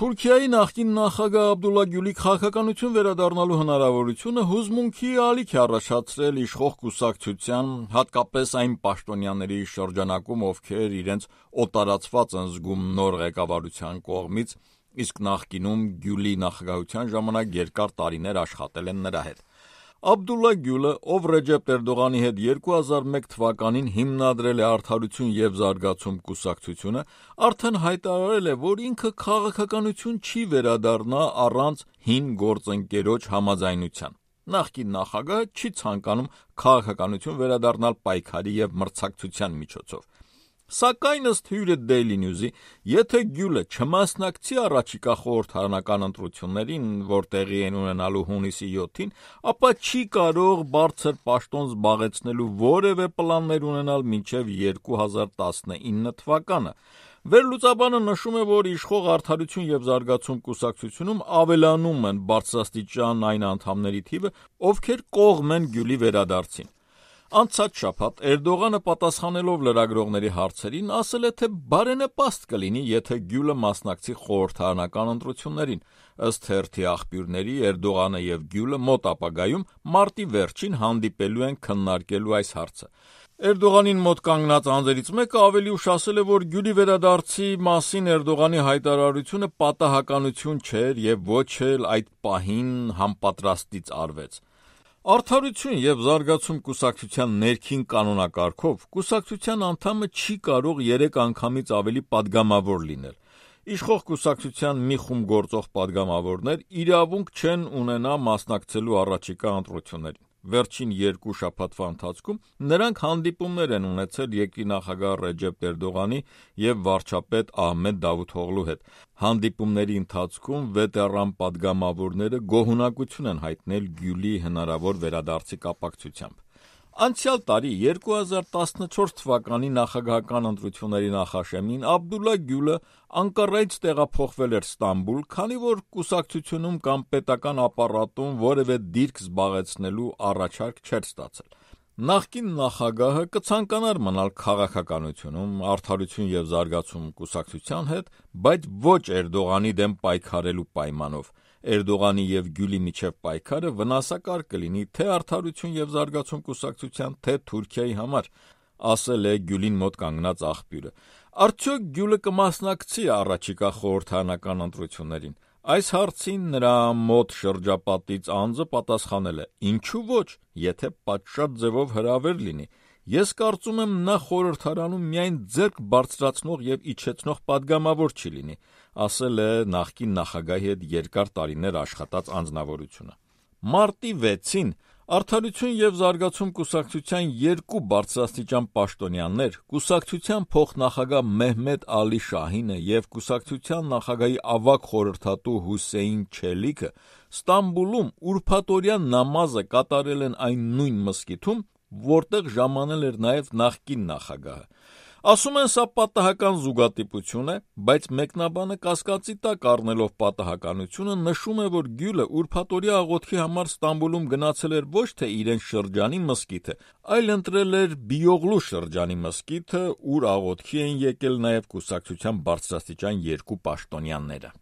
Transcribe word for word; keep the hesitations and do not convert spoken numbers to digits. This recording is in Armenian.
Թուրքիայի նախկին նախագահ Աբդուլլա Գյուլի քաղաքականություն վերադառնալու հնարավորությունը հուզմունքի ալիք է առաջացրել իշխող կուսակցության, հատկապես այն պաշտոնյաների շրջանակում, ովքեր իրենց օտարացված են զգում նոր ղեկավարության կողմից, իսկ նախկինում Գյուլի նախագահության ժամանակ երկար տարիներ աշխատել են նրա հետ։ Աբդուլլա Գյուլը, ով Ռեջեփ Էրդողանի հետ երկու հազար մեկ թվականին հիմնադրել է Արդարություն և զարգացում կուսակցությունը, արդեն հայտարարել է, որ ինքը քաղաքականություն չի վերադառնա առանց հին գործընկերոջ համաձայնության։ Նախկին նախագահը չի ցանկանում քաղաքականություն վերադառնալ պայքարի և մրցակցության միջոցով։ Սակայն ըստ հյուրը Daily News-ի, եթե Գյուլը չմասնակցի առաջիկա խորհրդարանական ընտրություններին, որ տեղի են ունենալու հունիսի յոթին, ապա չի կարող բարձր պաշտոն զբաղեցնելու որևէ պլաններ ունենալ մինչև երկու հազար տասնինը թվականը։ Վերլուծաբանը նշում է, որ իշխող Արդարություն և զարգացում կուսակցությունում ավելանում են բարձրաստիճան այն անդամների թիվը, ովքեր կողմ են Գյուլի վերադարձին։ Անցած շաբաթ Էրդողանը պատասխանելով լրագրողների հարցերին ասել է, թե բարենպաստ կլինի, եթե Գյուլը մասնակցի խորհրդարանական ընտրություններին։ Ըստ թերթի աղբյուրների, Էրդողանը և Գյուլը մոտ ապագայում մարտի վերջին հանդիպելու են քննարկելու այս հարցը։ Էրդողանին մոտ կանգնած անձերից մեկը ավելի ուշ ասել է, որ Գյուլի վերադարձի մասին Էրդողանի հայտարարությունը պատահականություն չէր և ոչ էլ այդ պահին համապատրաստից արվեց։ Արդարություն և զարգացում կուսակցության ներքին կանոնակարգով կուսակցության անդամը չի կարող երեք անգամից ավելի պատգամավոր լինել։ Իշխող կուսակցության մի խումբ գործող պատգամավորներ իրավունք չեն ունենա մասնակցելու առաջիկա ընտրություններին։ Վերջին երկու շաբաթվա ընթացքում նրանք հանդիպումներ են ունեցել երկրի նախագահ Ռեջեփ Էրդողանի և վարչապետ Ահմեդ Դավութօղլու հետ։ Հանդիպումների ընթացքում վետերան պատգամավորները գոհունակություն են հայտնել Գյուլի հնարավոր վերադարձի կապակցությամբ։ Անցյալ տարի երկու հազար տասնչորս թվականի նախագահական ընտրությունների նախաշեմին Աբդուլլա Գյուլը Անկարայից տեղափոխվել էր Ստամբուլ, քանի որ կուսակցությունում կամ պետական ապարատում որևէ դիրք զբաղեցնելու առաջարկ չէր ստացել։ Նախկին նախագահը կցանկանար մնալ քաղաքականությունում Արդարություն և զարգացում կուսակցության հետ, բայց ոչ Էրդողանի դեմ պայքարելու պայմանով։ Էրդողանի և Գյուլի միջև պայքարը վնասակար կլինի թե Արդարություն և զարգացում կուսակցության, թե Թուրքիայի համար, ասել է Գյուլին մոտ կանգնած աղբյուրը։ Արդյոք Գյուլը կմասնակցի առաջիկա խորհրդարանական ընտրություններին։ Այս հարցին նրա մոտ շրջապատից անձը պատասխանել է. Ինչու ոչ, եթե պատշաճ ձևով հրավեր լինի։ Ես կարծում եմ, նա խորհրդարանում միայն ձեռք բարձրացնող և իջեցնող պատգամավոր չի լինի, ասել է նախկին նախագահի հետ երկար տարիներ աշխատած անձնավորությունը։ Մարտի վեցին Արդարություն և զարգացում կուսակցության երկու բարձրաստիճան պաշտոնյաներ՝ կուսակցության փոխնախագահ Մեհմեդ Ալի Շահինը և կուսակցության նախագահի ավագ խորհրդատու Հուսեյն Չելիքը Ստամբուլում ուրբաթօրյա նամազը կատարել են այն նույն մզկիթում, որտեղ ժամանել էր նաև նախկին նախագահը։ Ասում են, սա պատահական զուգատիպություն է, բայց մեկնաբանը կասկածի տակ առնելով պատահականությունը նշում է, որ Գյուլը ուրբաթօրյա աղոթքի համար Ստամբուլում գնացել էր ոչ թե իրեն շրջանի մզկիթը, այլ ընտրել էր Բիյօղլու շրջանի մզկիթը, ուր աղոթքի էին եկել նաև կուսակցության բարձրաստիճան երկու պաշտոնյաները։